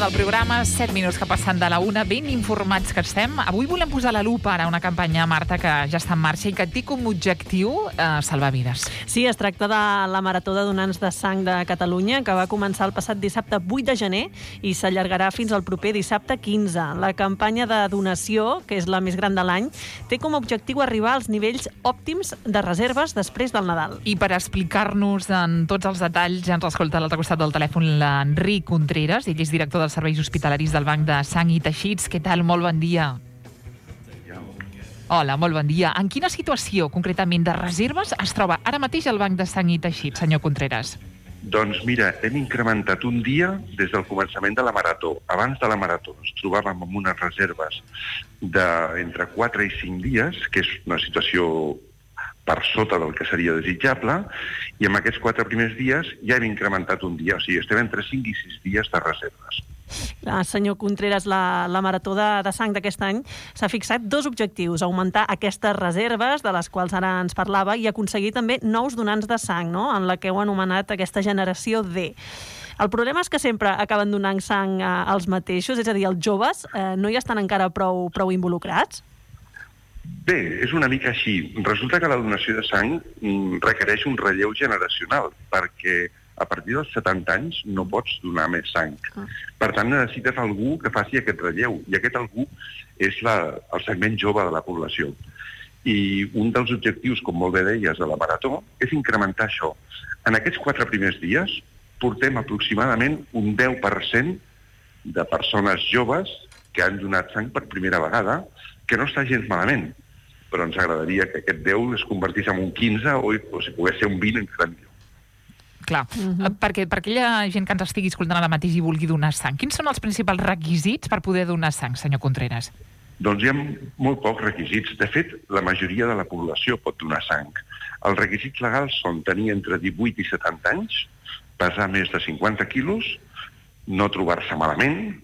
del programa, 7 minuts que passen de la 1, ben informats que estem. Avui volem posar la lupa ara a una campanya, Marta, que ja està en marxa i que té com a objectiu salvar vides. Sí, es tracta de la Marató de Donants de Sang de Catalunya, que va començar el passat dissabte 8 de gener i s'allargarà fins al proper dissabte 15. La campanya de donació, que és la més gran de l'any, té com a objectiu arribar als nivells òptims de reserves després del Nadal. I per explicar-nos en tots els detalls, ja ens escolta a l'altre costat del telèfon l'Enric Contreras, ell és director dels serveis hospitalaris del Banc de Sang i Teixits. Què tal? Molt bon dia. Hola, molt bon dia. En quina situació, concretament, de reserves es troba ara mateix el Banc de Sang i Teixits, senyor Contreras? Doncs mira, hem incrementat un dia des del començament de la Marató. Abans de la Marató ens trobàvem amb unes reserves d'entre 4 i 5 dies, que és una situació per sota del que seria desitjable, i en aquests 4 primers dies ja hem incrementat un dia, o sigui, estem entre 5 i 6 dies de reserves. Senyor Contreras, la Marató de Sang d'aquest any s'ha fixat 2 objectius: augmentar aquestes reserves, de les quals ara ens parlava, i aconseguir també nous donants de sang, no?, en la que heu anomenat aquesta generació D. El problema és que sempre acaben donant sang als mateixos, és a dir, els joves no hi estan encara prou involucrats? Bé, és una mica així. Resulta que la donació de sang requereix un relleu generacional, perquè a partir dels 70 anys no pots donar més sang. Per tant, necessites algú que faci aquest relleu, i aquest algú és el segment jove de la població. I un dels objectius, com molt bé deies, de la Marató, és incrementar això. En aquests 4 primers dies portem aproximadament un 10% de persones joves que han donat sang per primera vegada, que no està gens malament, però ens agradaria que aquest 10 es convertís en un 15 o si pogués ser un 20 encara millor. Clar, perquè per aquella gent que ens estigui escoltant ara mateix i vulgui donar sang, quins són els principals requisits per poder donar sang, senyor Contreras? Doncs hi ha molt pocs requisits. De fet, la majoria de la població pot donar sang. Els requisits legals són tenir entre 18 i 70 anys, pesar més de 50 quilos, no trobar-se malament,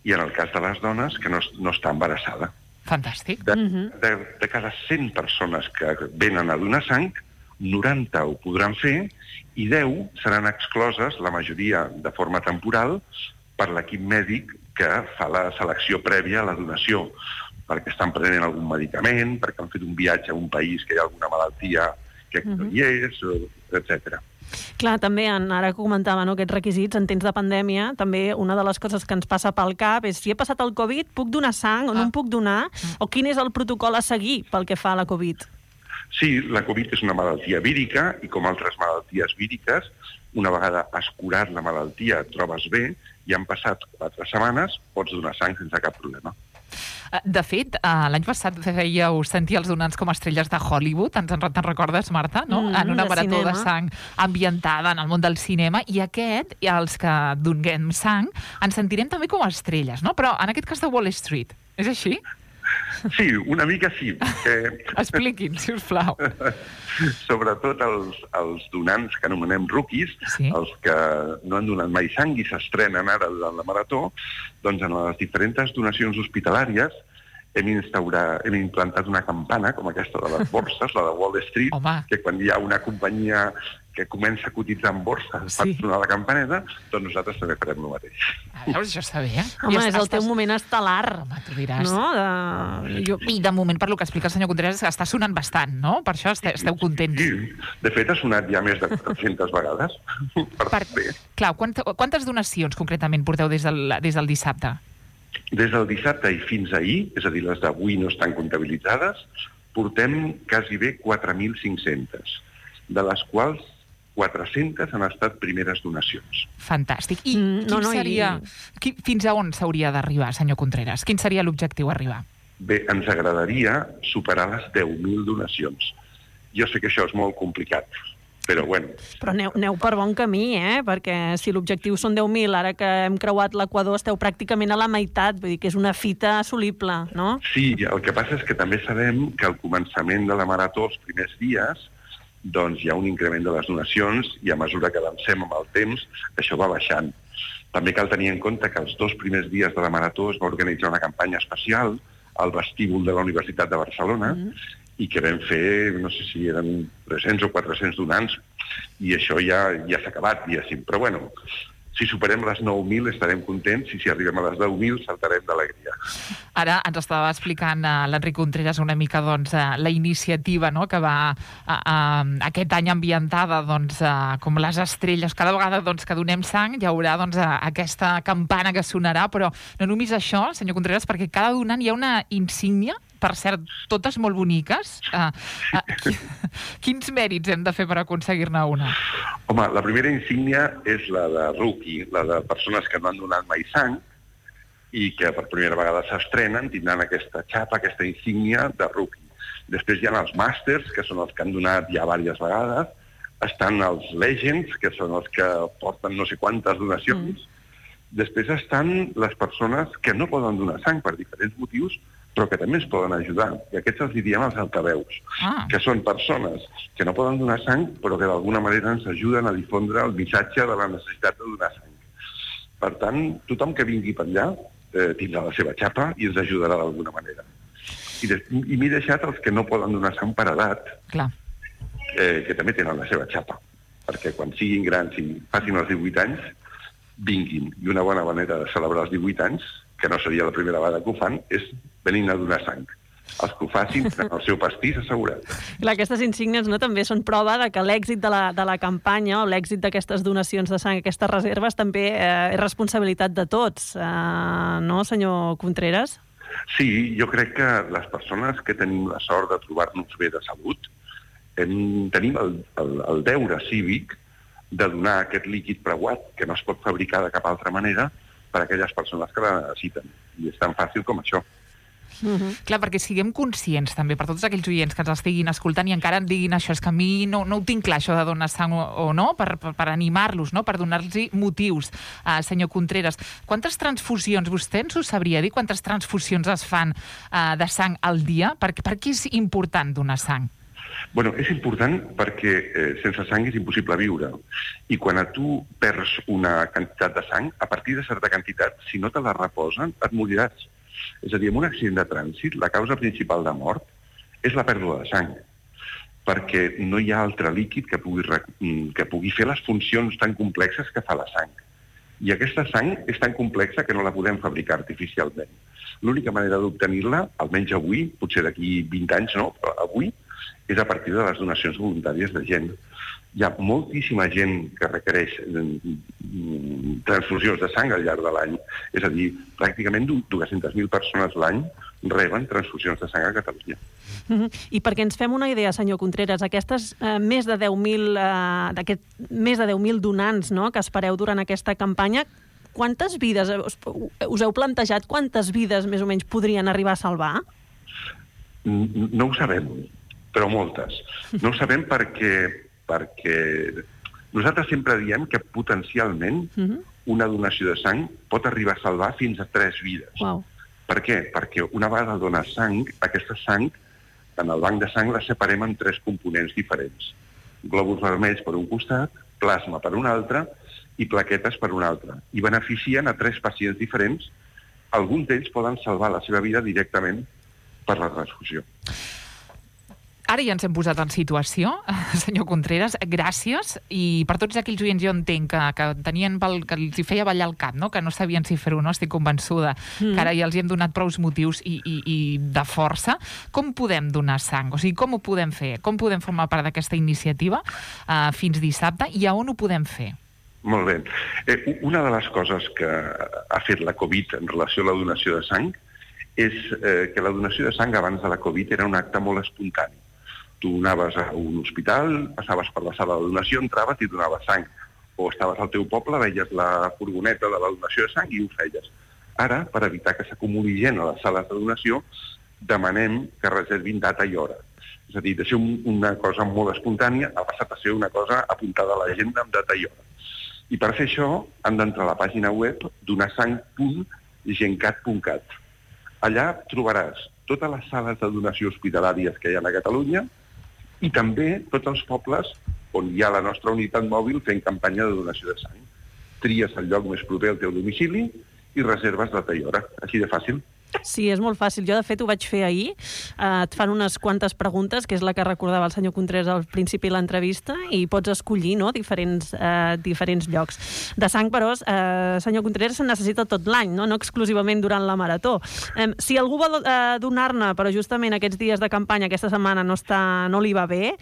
i en el cas de les dones, que no està embarassada. Fantàstic. De cada 100 persones que venen a donar sang, 90 ho podran fer i 10 seran excloses, la majoria de forma temporal, per l'equip mèdic que fa la selecció prèvia a la donació, perquè estan prenent algun medicament, perquè han fet un viatge a un país que hi ha alguna malaltia que no hi és, etc. Clar, també, ara que comentava, aquests requisits en temps de pandèmia, també una de les coses que ens passa pel cap és si he passat el Covid, puc donar sang o no em puc donar? O quin és el protocol a seguir pel que fa a la Covid? Sí, la Covid és una malaltia vírica i com altres malalties víriques, una vegada has curat la malaltia, et trobes bé i han passat 4 setmanes, pots donar sang sense cap problema. De fet, l'any passat fèieu sentir els donants com estrelles de Hollywood, te'n recordes, Marta? No? En una marató de sang ambientada en el món del cinema, i els que donem sang, ens sentirem també com a estrelles, no? Però en aquest cas de Wall Street. És així? Sí, una mica sí. Expliquin, si us plau. Sobretot els donants que anomenem rookies, els que no han donat mai sang i s'estrenen ara durant la Marató, doncs en les diferents donacions hospitalàries hem implantat una campana com aquesta de les borses, la de Wall Street, que quan hi ha una companyia que comença a cotitzar en borsa per sonar la campaneta, doncs nosaltres també farem el mateix. Veus, això està bé, Home, és el teu moment estel·lar. Home, tu diràs. I de moment, per lo que explica el senyor Contreras, està sonant bastant, no? Per això esteu contents. Sí, de fet ha sonat ja més de 400 vegades. Clar, quantes donacions concretament porteu des del dissabte? Des del dissabte i fins ahir, és a dir, les d'avui no estan comptabilitzades, portem quasi bé 4.500, de les quals 400 han estat primeres donacions. Fantàstic. I fins a on s'hauria d'arribar, senyor Contreras? Quin seria l'objectiu a arribar? Bé, ens agradaria superar les 10.000 donacions. Jo sé que això és molt complicat, però bueno. Però aneu per bon camí, perquè si l'objectiu són 10.000, ara que hem creuat l'Equador esteu pràcticament a la meitat, vull dir que és una fita assolible, no? Sí, el que passa és que també sabem que al començament de la Marató, els primers dies, doncs hi ha un increment de les donacions i a mesura que avancem amb el temps, això va baixant. També cal tenir en compte que els 2 primers dies de la Marató es va organitzar una campanya especial al vestíbul de la Universitat de Barcelona i que vam fer, no sé si eren 300 o 400 donants, i això ja s'ha acabat, diguéssim. Però bueno, Si superem les 9.000 estarem contents i si arribem a les 10.000 saltarem d'alegria. Ara ens estava explicant l'Enric Contreras una mica la iniciativa, no?, que va aquest any ambientada com les estrelles. Cada vegada que donem sang hi haurà aquesta campana que sonarà, però no només això, senyor Contreras, perquè cada donant hi ha una insígnia, per cert, totes molt boniques. Quins mèrits hem de fer per aconseguir-ne una? Home, la primera insígnia és la de rookie, la de persones que no han donat mai sang i que per primera vegada s'estrenen, tindran aquesta xapa, aquesta insígnia de rookie. Després hi ha els màsters, que són els que han donat ja diverses vegades. Estan els legends, que són els que porten no sé quantes donacions. Després estan les persones que no poden donar sang per diferents motius, però que també es poden ajudar. I aquests els diem els altaveus, que són persones que no poden donar sang, però que d'alguna manera ens ajuden a difondre el missatge de la necessitat de donar sang. Per tant, tothom que vingui per allà tindrà la seva xapa i ens ajudarà d'alguna manera. I m'he deixat els que no poden donar sang per edat, que també tenen la seva xapa, perquè quan siguin grans i passin els 18 anys, vinguin. I una bona manera de celebrar els 18 anys, que no seria la primera vegada que ho fan, és venint a donar sang. Els que ho facin tenen el seu pastís assegurat. Clar, aquestes insígnies també són prova de que l'èxit de la campanya o l'èxit d'aquestes donacions de sang, aquestes reserves, també és responsabilitat de tots, no, senyor Contreras? Sí, jo crec que les persones que tenim la sort de trobar-nos bé de salut tenim el deure cívic de donar aquest líquid preuat que no es pot fabricar de cap altra manera per a aquelles persones que la necessiten. I és tan fàcil com això. Clar, perquè siguem conscients també, per tots aquells oients que ens estiguin escoltant i encara en diguin això, és que a mi no ho tinc clar, això de donar sang o no, per animar-los, no? Per donar-los motius. Senyor Contreras, quantes transfusions, vostè ens ho sabria dir, quantes transfusions es fan de sang al dia? Per què és important donar sang? Bueno, és important perquè sense sang és impossible viure. I quan tu perds una quantitat de sang, a partir de certa quantitat, si no te la reposen, et moriràs. És a dir, en un accident de trànsit, la causa principal de mort és la pèrdua de sang, perquè no hi ha altre líquid que pugui fer les funcions tan complexes que fa la sang. I aquesta sang és tan complexa que no la podem fabricar artificialment. L'única manera d'obtenir-la, almenys avui, potser d'aquí 20 anys no, però avui, és a partir de les donacions voluntàries de gent. Hi ha moltíssima gent que requereix transfusions de sang al llarg de l'any. És a dir, pràcticament 200.000 persones l'any reben transfusions de sang a Catalunya. I perquè ens fem una idea, senyor Contreras, aquestes més de 10.000 donants, no?, que espereu durant aquesta campanya, quantes vides, us heu plantejat quantes vides més o menys podrien arribar a salvar? No ho sabem, però moltes. No ho sabem perquè nosaltres sempre diem que potencialment una donació de sang pot arribar a salvar fins a 3 vides. Wow. Per què? Perquè una vegada dones sang, aquesta sang, en el banc de sang, la separem en 3 components diferents. Glòbuls vermells per un costat, plasma per un altre i plaquetes per un altre. I beneficien a 3 pacients diferents. Alguns d'ells poden salvar la seva vida directament per la transfusió. Ara ja ens hem posat en situació, senyor Contreras, gràcies, i per tots aquells oients jo entenc que tenien que els hi feia ballar el cap, no?, que no sabien si fer-ho, no?, estic convençuda que ara ja els hi hem donat prous motius i de força. Com podem donar sang? O sigui, com ho podem fer? Com podem formar part d'aquesta iniciativa fins dissabte i a on ho podem fer? Molt bé. Una de les coses que ha fet la Covid en relació a la donació de sang és que la donació de sang abans de la Covid era un acte molt espontani. Tu anaves a un hospital, passaves per la sala de donació, entraves i donaves sang. O estaves al teu poble, veies la furgoneta de la donació de sang i ho feies. Ara, per evitar que s'acumuli gent a les sales de donació, demanem que reservin data i hora. És a dir, de ser una cosa molt espontània ha passat a ser una cosa apuntada a l'agenda amb data i hora. I per fer això han d'entrar a la pàgina web donasang.gencat.cat. Allà trobaràs totes les sales de donació hospitalàries que hi ha a Catalunya i també tots els pobles on hi ha la nostra unitat mòbil fent campanya de donació de sang. Tries el lloc més proper al teu domicili i reserves data i hora. Així de fàcil. Sí, és molt fàcil. Jo, de fet, ho vaig fer ahir. Et fan unes quantes preguntes, que és la que recordava el senyor Contreras al principi de l'entrevista, i pots escollir, no?, diferents llocs. De sang, però, senyor Contreras, se necessita tot l'any, no exclusivament durant la marató. Si algú vol donar-ne, però justament aquests dies de campanya, aquesta setmana no li va bé,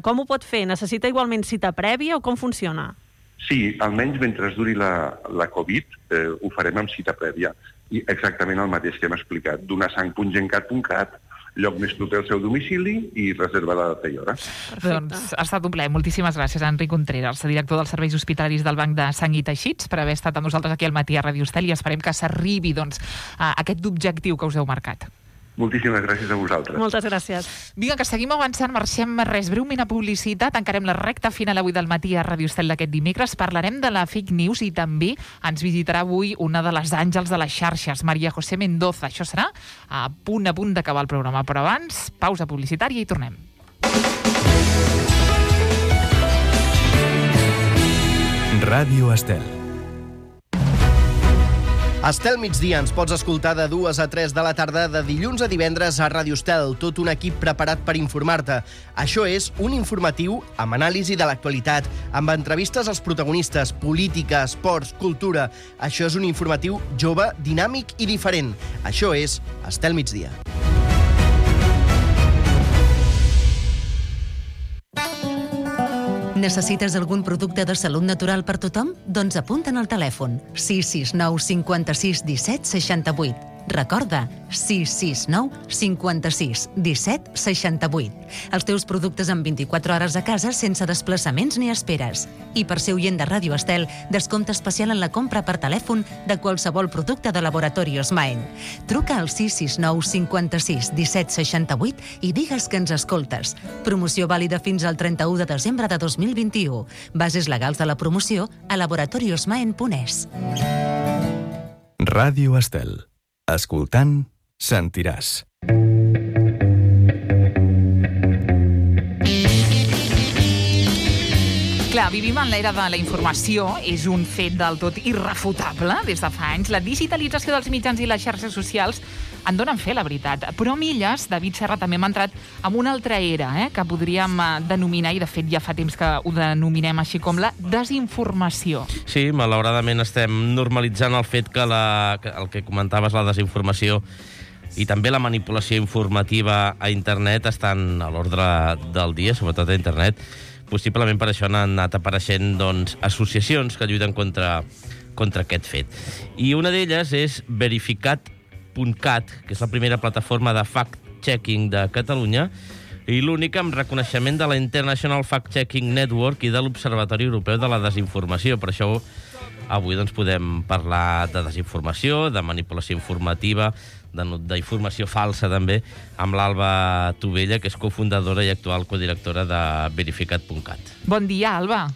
com ho pot fer? Necessita igualment cita prèvia o com funciona? Sí, almenys mentre duri la Covid, ho farem amb cita prèvia. I exactament el mateix que hem explicat. Donarsang.gencat.cat, lloc més proper al seu domicili i reserva la data i hora. Doncs ha estat un plaer. Moltíssimes gràcies a Enric Contreras, director dels serveis hospitalaris del Banc de Sang i Teixits, per haver estat amb nosaltres aquí al matí a Ràdio Estel, i esperem que s'arribi a aquest objectiu que us heu marcat. Moltíssimes gràcies a vosaltres. Moltes gràcies. Vinga, que seguim avançant, marxem breument a publicitat, encarem la recta final avui del matí a Ràdio Estel d'aquest dimecres, parlarem de la fake news i també ens visitarà avui una de les àngels de les xarxes, Maria José Mendoza. Això serà a punt d'acabar el programa, però abans, pausa publicitària i tornem. Ràdio Estel. Estel Migdia ens pots escoltar de 2 a 3 de la tarda de dilluns a divendres a Ràdio Estel, tot un equip preparat per informar-te. Això és un informatiu amb anàlisi de l'actualitat, amb entrevistes als protagonistes, política, esports, cultura. Això és un informatiu jove, dinàmic i diferent. Això és Estel Migdia. Necessites algun producte de salut natural per tothom? Doncs apunta'n al telèfon 669 56 17 68. Recorda, 669 56 17 68. Els teus productes en 24 hores a casa sense desplaçaments ni esperes. I per ser oient de Ràdio Estel, descompte especial en la compra per telèfon de qualsevol producte de Laboratorios Maen. Truca al 669 56 17 68 i digues que ens escoltes. Promoció vàlida fins al 31 de desembre de 2021. Bases legals de la promoció a laboratoriosmaen.es. Ràdio Estel. Escoltant, sentiràs. Clar, vivim en l'era de la informació, és un fet del tot irrefutable des de fa anys. La digitalització dels mitjans i les xarxes socials en donen fe, la veritat. Però Milles, David Serra, també hem entrat en una altra era, que podríem denominar, i de fet ja fa temps que ho denominem així, com la desinformació. Sí, malauradament estem normalitzant el fet que el que comentaves, la desinformació i també la manipulació informativa a internet estan a l'ordre del dia, sobretot a internet. Possiblement per això han anat apareixent associacions que lluiten contra aquest fet. I una d'elles és Verificat.cat, que és la primera plataforma de fact-checking de Catalunya i l'única amb reconeixement de la International Fact-Checking Network i de l'Observatori Europeu de la Desinformació. Per això avui podem parlar de desinformació, de manipulació informativa, d'informació falsa també, amb l'Alba Tovella, que és cofundadora i actual codirectora de Verificat.cat. Bon dia, Alba.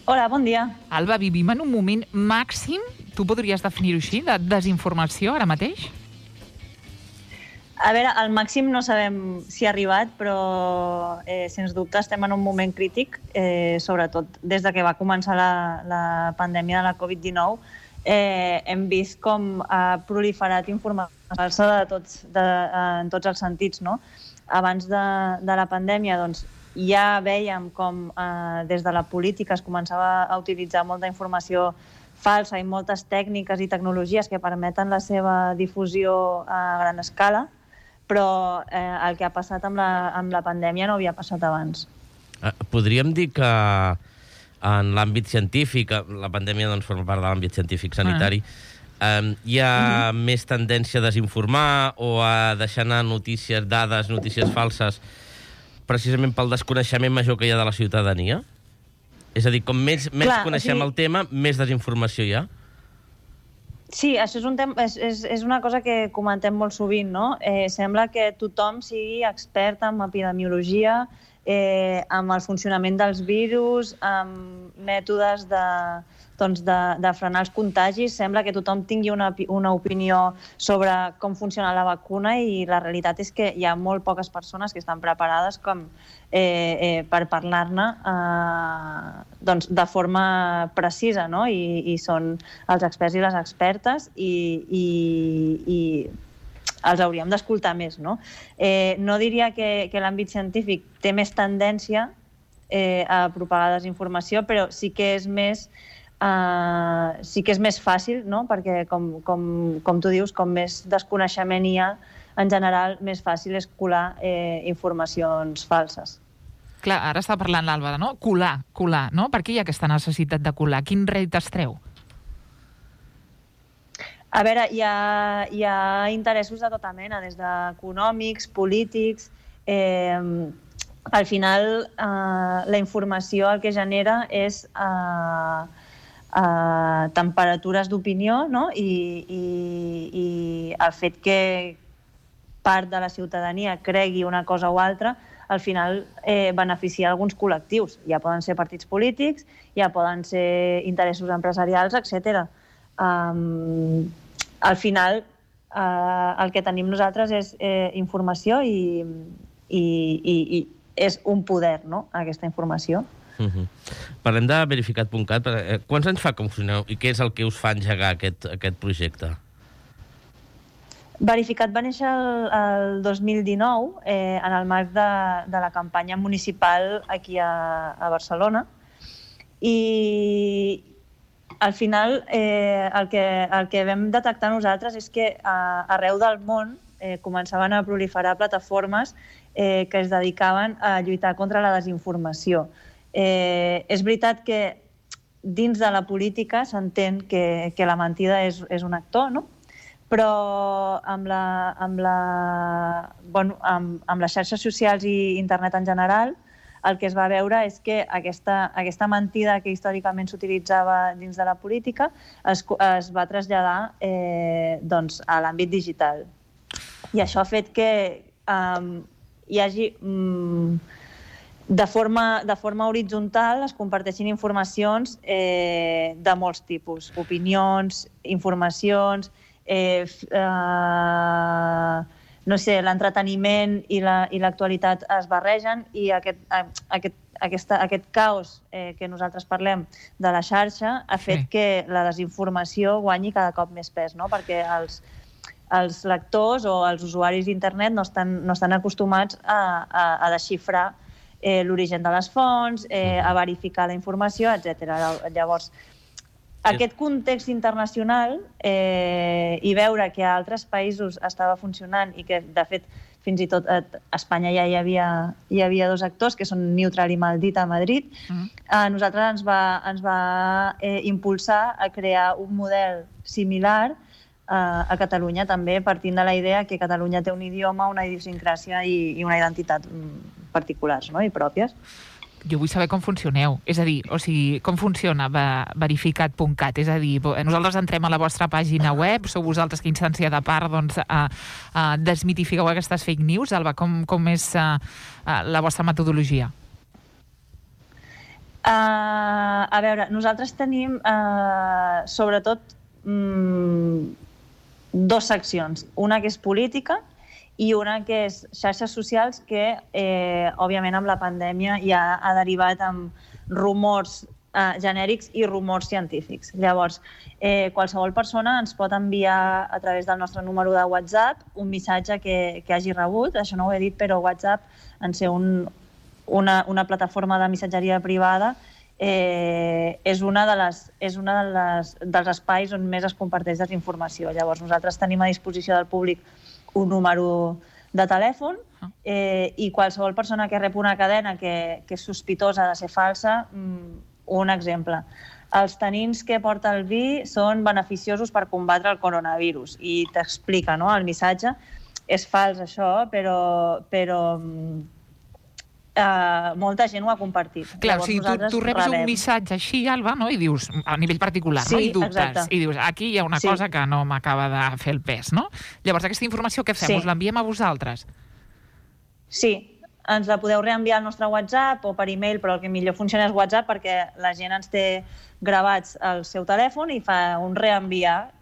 Hola, bon dia. Alba, vivim en un moment màxim, tu podries definir-ho així, de desinformació ara mateix? A veure, al màxim no sabem si ha arribat, però sens dubte estem en un moment crític, sobretot des de que va començar la pandèmia de la Covid-19. Hem vist com ha proliferat informació falsa en tots els sentits, no? Abans de la pandèmia, doncs, ja vèiem com des de la política es començava a utilitzar molta informació falsa i moltes tècniques i tecnologies que permeten la seva difusió a gran escala, però el que ha passat amb la pandèmia no havia passat abans. Podríem dir que en l'àmbit científic, la pandèmia forma part de l'àmbit científic sanitari, hi ha més tendència a desinformar o a deixar anar notícies, dades, notícies falses, precisament pel desconeixement major que hi ha de la ciutadania? És a dir, com més coneixem el tema, més desinformació hi ha? Sí, això és una cosa que comentem molt sovint, no? Sembla que tothom sigui expert en epidemiologia, amb el funcionament dels virus, amb mètodes de frenar els contagis. Sembla que tothom tingui una opinió sobre com funciona la vacuna i la realitat és que hi ha molt poques persones que estan preparades per parlar-ne doncs, de forma precisa, no? I són els experts i les expertes i els hauríem d'escoltar més, no? No diria que l'àmbit científic té més tendència a propagar desinformació, però sí que és més fàcil, no? Perquè, com tu dius, com més desconeixement hi ha, en general, més fàcil és colar informacions falses. Clar, ara està parlant l'Àlvara, no? Colar, no? Per què hi ha aquesta necessitat de colar? Quin rèdit es treu? A veure, hi ha interessos de tota mena, des d'econòmics, polítics. Al final, la informació el que genera és temperatures d'opinió, no? I el fet que part de la ciutadania cregui una cosa o altra, al final beneficia alguns col·lectius. Ja poden ser partits polítics, ja poden ser interessos empresarials, etc. Al final, el que tenim nosaltres és informació i és un poder, no?, aquesta informació. Parlem de verificat.cat. Quants anys fa que funcioneu i què és el que us fa engegar aquest projecte? Verificat va néixer el 2019 en el marc de la campanya municipal aquí a Barcelona i al final el que vam detectar nosaltres és que arreu del món començaven a proliferar plataformes que es dedicaven a lluitar contra la desinformació. És veritat que dins de la política s'entén que la mentida és un actor, no? Però amb les xarxes socials i internet en general, el que es va veure és que aquesta mentida que històricament s'utilitzava dins de la política es va traslladar a l'àmbit digital. I això ha fet que hi hagi, de forma horitzontal, es comparteixin informacions de molts tipus, opinions, informacions, no sé, l'entreteniment i l'actualitat es barregen i aquest caos que nosaltres parlem de la xarxa ha fet que la desinformació guanyi cada cop més pes, no? Perquè els lectors o els usuaris d'internet no estan acostumats a desxifrar l'origen de les fonts, a verificar la informació, etc. Llavors, aquest context internacional i veure que a altres països estava funcionant i que, de fet, fins i tot a Espanya ja hi havia dos actors, que són Neutral i Maldita a Madrid, a nosaltres ens va impulsar a crear un model similar a Catalunya, també partint de la idea que Catalunya té un idioma, una idiosincràsia i una identitat particulars, no?, i pròpies. Jo vull saber com funcioneu. És a dir, com funciona verificat.cat? És a dir, nosaltres entrem a la vostra pàgina web, sou vosaltres que instancia de part desmitifiqueu aquestes fake news? Alba, com és la vostra metodologia? A veure, nosaltres tenim sobretot dues seccions. Una que és política i una que és xarxes socials que, òbviament, amb la pandèmia ja ha derivat en rumors genèrics i rumors científics. Llavors, qualsevol persona ens pot enviar a través del nostre número de WhatsApp un missatge que hagi rebut. Això no ho he dit, però WhatsApp, en ser una plataforma de missatgeria privada, és una dels espais on més es comparteix desinformació. Llavors, nosaltres tenim a disposició del públic un número de telèfon i qualsevol persona que rep una cadena que és sospitosa de ser falsa, un exemple. Els tanins que porta el vi són beneficiosos per combatre el coronavirus i t'explica, no?, el missatge. És fals, això, però molta gent ho ha compartit. Clar, o sigui, tu reps un missatge així, Alba, no?, i dius, a nivell particular, no?, i dubtes, i dius, aquí hi ha una cosa que no m'acaba de fer el pes, no? Llavors, aquesta informació què fem? Us l'enviem a vosaltres? Sí, ens la podeu reenviar al nostre WhatsApp o per e-mail, però el que millor funciona és WhatsApp perquè la gent ens té gravats al seu telèfon i fa un reenviar,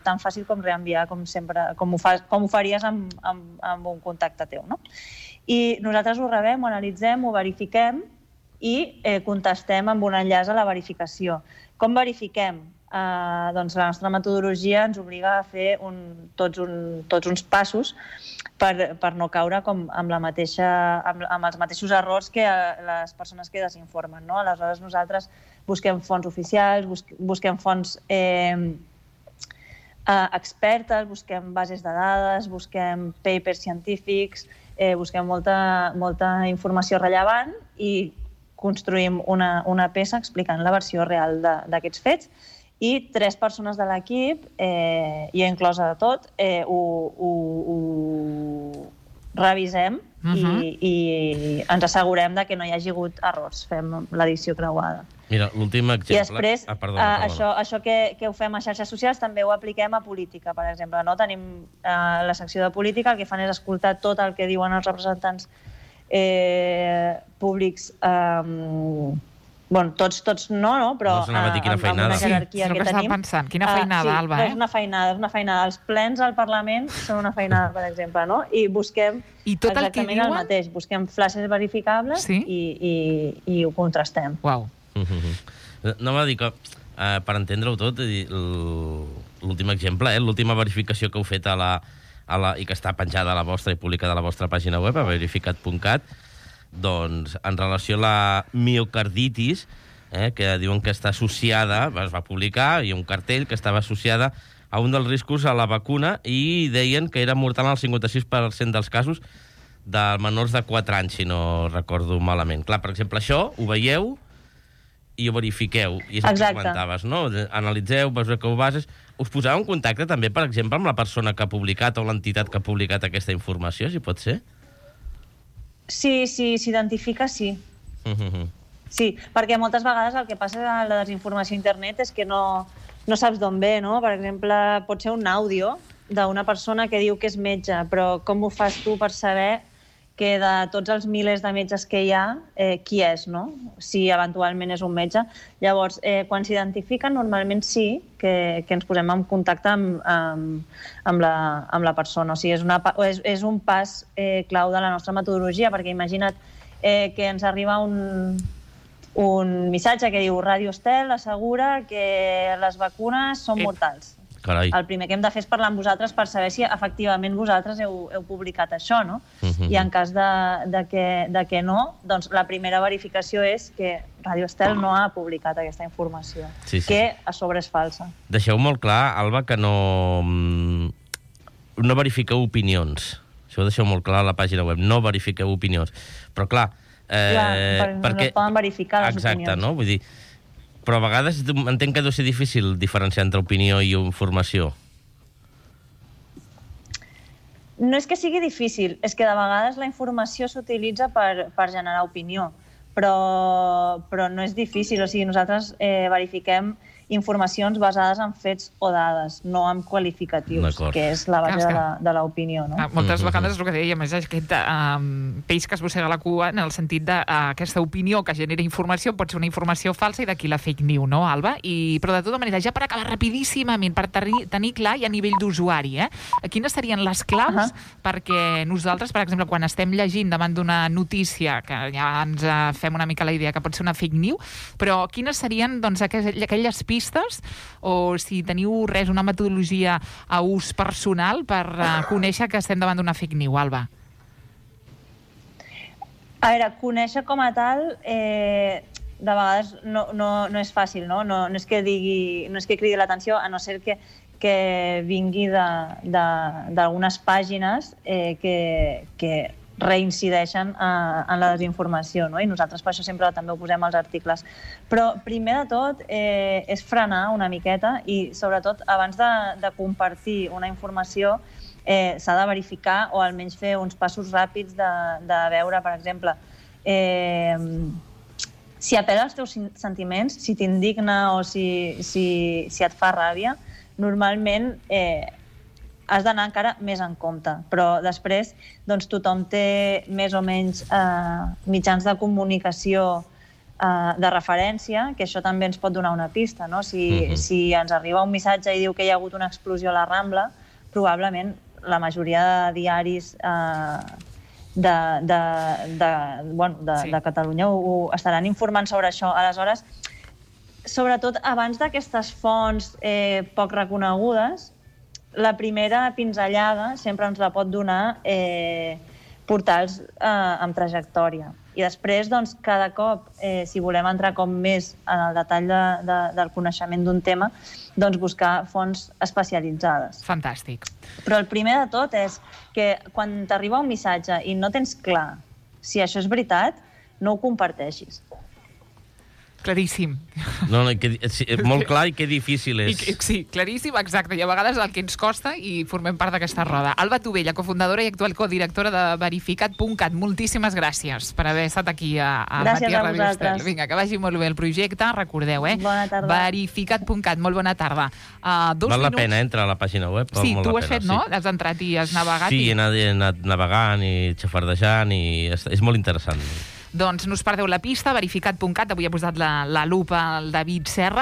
tan fàcil com reenviar, com sempre, com ho faries amb un contacte teu, no? I nosaltres ho rebem, ho analitzem, ho verifiquem i contestem amb un enllaç a la verificació. Com verifiquem? Doncs la nostra metodologia ens obliga a fer tots uns passos per no caure amb els mateixos errors que les persones que desinformen. Aleshores, nosaltres busquem fonts oficials, busquem fonts expertes, busquem bases de dades, busquem papers científics, busquem molta informació rellevant i construïm una peça explicant la versió real d'aquests fets i 3 persones de l'equip, i inclosa de tot, ho revisem i ens assegurem que no hi hagi hagut errors. Fem l'edició creuada. Mira, l'últim exemple... I després, això que ho fem a xarxes socials també ho apliquem a política, per exemple. Tenim la secció de política, el que fan és escoltar tot el que diuen els representants públics, tots no, però amb una jerarquia que tenim. Estava pensant, quina feinada, Alba, és una feinada. Els plens al Parlament són una feinada, per exemple, no? I busquem exactament el mateix. Busquem flashes verificables i ho contrastem. Uau. No m'ha dit que, per entendre-ho tot, l'últim exemple, l'última verificació que heu fet i que està penjada a la vostra i publicada a la vostra pàgina web, a verificat.cat, doncs, en relació a la miocarditis, que diuen que està associada, es va publicar, hi ha un cartell que estava associada a un dels riscos a la vacuna i deien que era mortal en el 56% dels casos de menors de 4 anys, si no recordo malament. Clar, per exemple, això ho veieu i ho verifiqueu. I és el que comentaves, no? Analitzeu, veieu que ho bases. Us poseu en contacte també, per exemple, amb la persona que ha publicat o l'entitat que ha publicat aquesta informació, si pot ser? Sí, s'identifica, sí. Sí, perquè moltes vegades el que passa a la desinformació a internet és que no saps d'on ve, no? Per exemple, pot ser un àudio d'una persona que diu que és metge, però com ho fas tu per saber que de tots els milers de metges que hi ha, qui és, no? Si eventualment és un metge. Llavors, quan s'identifiquen, normalment sí que ens posem en contacte amb la persona. O sigui, és un pas clau de la nostra metodologia, perquè imagina't que ens arriba un missatge que diu Ràdio Estel assegura que les vacunes són mortals. Carai. El primer que hem de fer és parlar amb vosaltres per saber si efectivament vosaltres heu publicat això, no? I en cas de que no, doncs la primera verificació és que Ràdio Estel no ha publicat aquesta informació, que a sobre és falsa. Deixeu molt clar, Alba, que no verifiqueu opinions. Això ho deixeu molt clar a la pàgina web. No verifiqueu opinions. Però clar... perquè no poden verificar les opinions. Exacte, no? Vull dir... Però a vegades entenc que deu ser difícil diferenciar entre opinió i informació. No és que sigui difícil, és que de vegades la informació s'utilitza per generar opinió, però no és difícil. O sigui, nosaltres verifiquem informacions basades en fets o dades, no en qualificatius, que és la base de l'opinió. No? Moltes vegades és el que deia, més aquest peix que es mossega la cua en el sentit d'aquesta opinió que genera informació pot ser una informació falsa i d'aquí la fake news, no, Alba? Però de tota manera, ja per acabar rapidíssimament, per tenir clar i a nivell d'usuari, quines serien les claus perquè nosaltres, per exemple, quan estem llegint davant d'una notícia, que ja ens fem una mica la idea que pot ser una fake news, però quines serien aquelles pistes o si teniu una metodologia a ús personal per conèixer que estem davant d'una fake news, Alba? A veure, conèixer com a tal de vegades no és fàcil, no? No és que cridi l'atenció, a no ser que vingui d'algunes pàgines que reincideixen en la desinformació, no? I nosaltres per això sempre també ho posem als articles. Però primer de tot és frenar una miqueta i sobretot abans de compartir una informació s'ha de verificar o almenys fer uns passos ràpids de veure, per exemple, si apel·la als teus sentiments, si t'indigna o si et fa ràbia, normalment has d'anar encara més en compte. Però després tothom té més o menys mitjans de comunicació de referència, que això també ens pot donar una pista, no? Si ens arriba un missatge i diu que hi ha hagut una explosió a la Rambla, probablement la majoria de diaris de Catalunya ho estaran informant sobre això. Aleshores, sobretot abans d'aquestes fonts poc reconegudes, la primera pinzellada sempre ens la pot donar portals amb trajectòria. I després, doncs, cada cop, si volem entrar com més en el detall del coneixement d'un tema, doncs buscar fonts especialitzades. Fantàstic. Però el primer de tot és que quan t'arriba un missatge i no tens clar si això és veritat, no ho comparteixis. Claríssim. No, molt clar i que difícil és. Sí, claríssim, exacte. I a vegades el que ens costa i formem part d'aquesta roda. Alba Tovella, cofundadora i actual codirectora de Verificat.cat. Moltíssimes gràcies per haver estat aquí a Matí a Ràdio Estel. Vinga, que vagi molt bé el projecte. Recordeu, Bona tarda. Verificat.cat. Molt bona tarda. Val la pena entrar a la pàgina web. Sí, tu ho has fet, no? Has entrat i has navegat. Sí, he anat navegant i xafardejant i és molt interessant. Doncs no us perdeu la pista, Verificat.cat. Avui ha posat la lupa al David Serra.